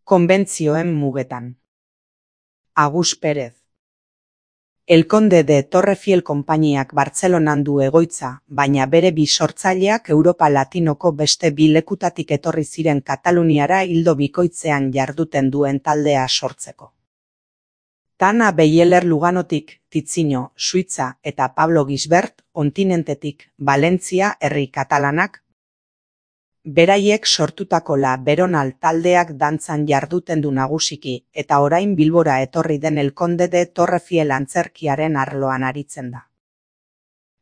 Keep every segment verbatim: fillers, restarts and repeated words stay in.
Konbentzioen mugetan. Agus Pérez. El Conde de Torrefiel konpainiak Bartzelonan du egoitza, baina bere bi sortzaileak Europa Latinoko beste bi lekutatik etorri ziren Kataluniara ildo bikoitzean jarduten duen taldea sortzeko. Tana Beyeler Luganotik, Tizinho, Suitza eta Pablo Gisbert, kontinentetik, Valentzia herri katalanak. Beraiek sortutako La Veronal taldeak dantzan jarduten du nagusiki, eta orain Bilbora etorri den El Conde de Torrefiel antzerkiaren arloan aritzen da.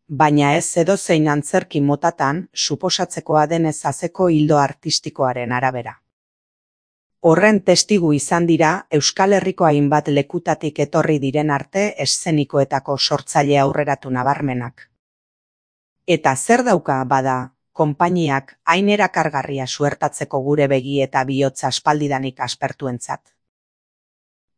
Baina ez edozein antzerki motatan, suposatzekoa denez azeko ildo artistikoaren arabera. Horren testigu izan dira, Euskal Herriko hainbat lekutatik etorri diren arte eszenikoetako sortzaile aurreratu nabarmenak. Eta zer dauka bada, konpainiak hain erakargarria suertatzeko gure begi eta bihotza aspaldidanik aspertuentzat.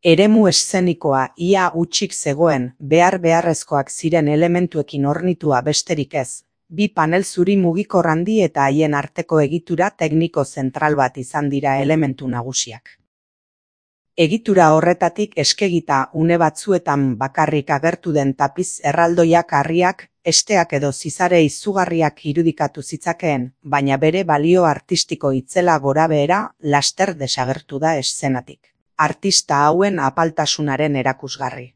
Eremu eszenikoa ia hutsik zegoen, behar beharrezkoak ziren elementuekin hornitua besterik ez, bi panel zuri mugikor handi eta haien arteko egitura tekniko zentral bat izan dira elementu nagusiak. Egitura horretatik eskegita une batzuetan bakarrik agertu den tapiz erraldoiak harriak, esteak edo zizare izugarriak irudikatu zitzakeen, baina bere balio artistiko itzela gorabehera laster desagertu da eszenatik. Artista hauen apaltasunaren erakusgarri.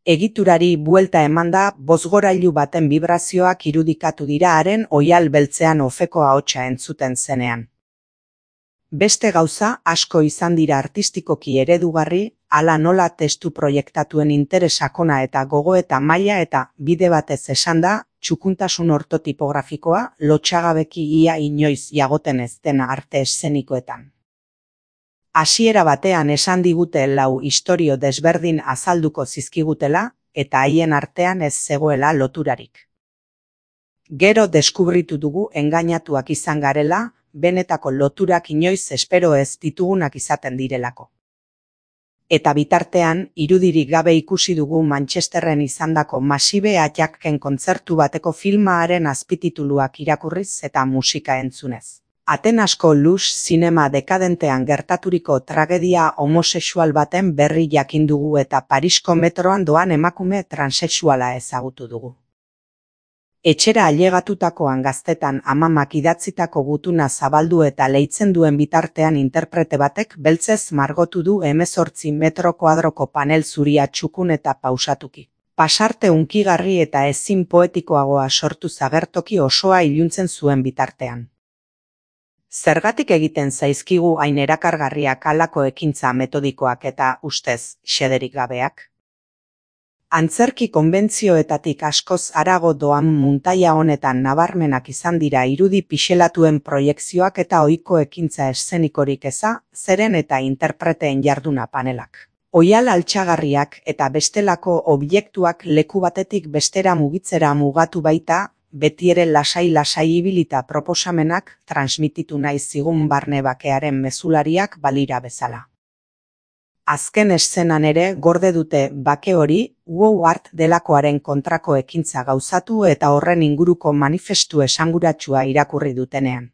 Egiturari buelta emanda bozgorailu baten vibrazioak irudikatu dira haren oihal beltzean ofeko ahotsa entzuten zenean. Beste gauza asko izan dira artistikoki eredugarri, hala nola testu proiektatuen interesakona eta gogoeta maila eta bide batez esanda, txukuntasun ortotipografikoa lotsagabeki ia inoiz jagoten ez dena arte eszenikoetan. Hasiera batean esan digute lau istorio desberdin azalduko zizkigutela, eta haien artean ez zegoela loturarik. Gero deskubritu dugu engainatuak izan garela, benetako loturak inoiz espero ez ditugunak izaten direlako. Eta bitartean, irudirik gabe ikusi dugu Manchesterren izandako Masive Attacken kontzertu bateko filmaren azpitituluak irakurriz eta musika entzunez. Atenasko lux zinema dekadentean gertaturiko tragedia homosexual baten berri jakin dugu eta Parisko metroan doan emakume transexuala ezagutu dugu. Etxera ailegatutakoan gaztetan amamak idatzitako gutuna zabaldu eta leitzen duen bitartean interprete batek beltzez margotu du hemezortzi metro kuadroko panel zuria txukun eta pausatuki. Pasarte hunkigarri eta ezin poetikoagoa sortu zagertoki osoa iluntzen zuen bitartean. Zergatik egiten zaizkigu hain erakargarriak halako ekintza metodikoak eta ustez xederik gabeak? Antzerki konbentzioetatik askoz harago doan muntaia honetan nabarmenak izan dira irudi pixelatuen proiekzioak eta ohiko ekintza eszenikorik eza, zeren eta interpreteen jarduna panelak. Oihal altxagarriak eta bestelako objektuak leku batetik bestera mugitzera mugatu baita, betiere lasai-lasai ibilita proposamenak transmititu nahi zigun barne bakearen mezulariak balira bezala. Azken eszenan ere gorde dute bake hori, wow art delakoaren kontrako ekintza gauzatu eta horren inguruko manifestu esanguratsua irakurri dutenean.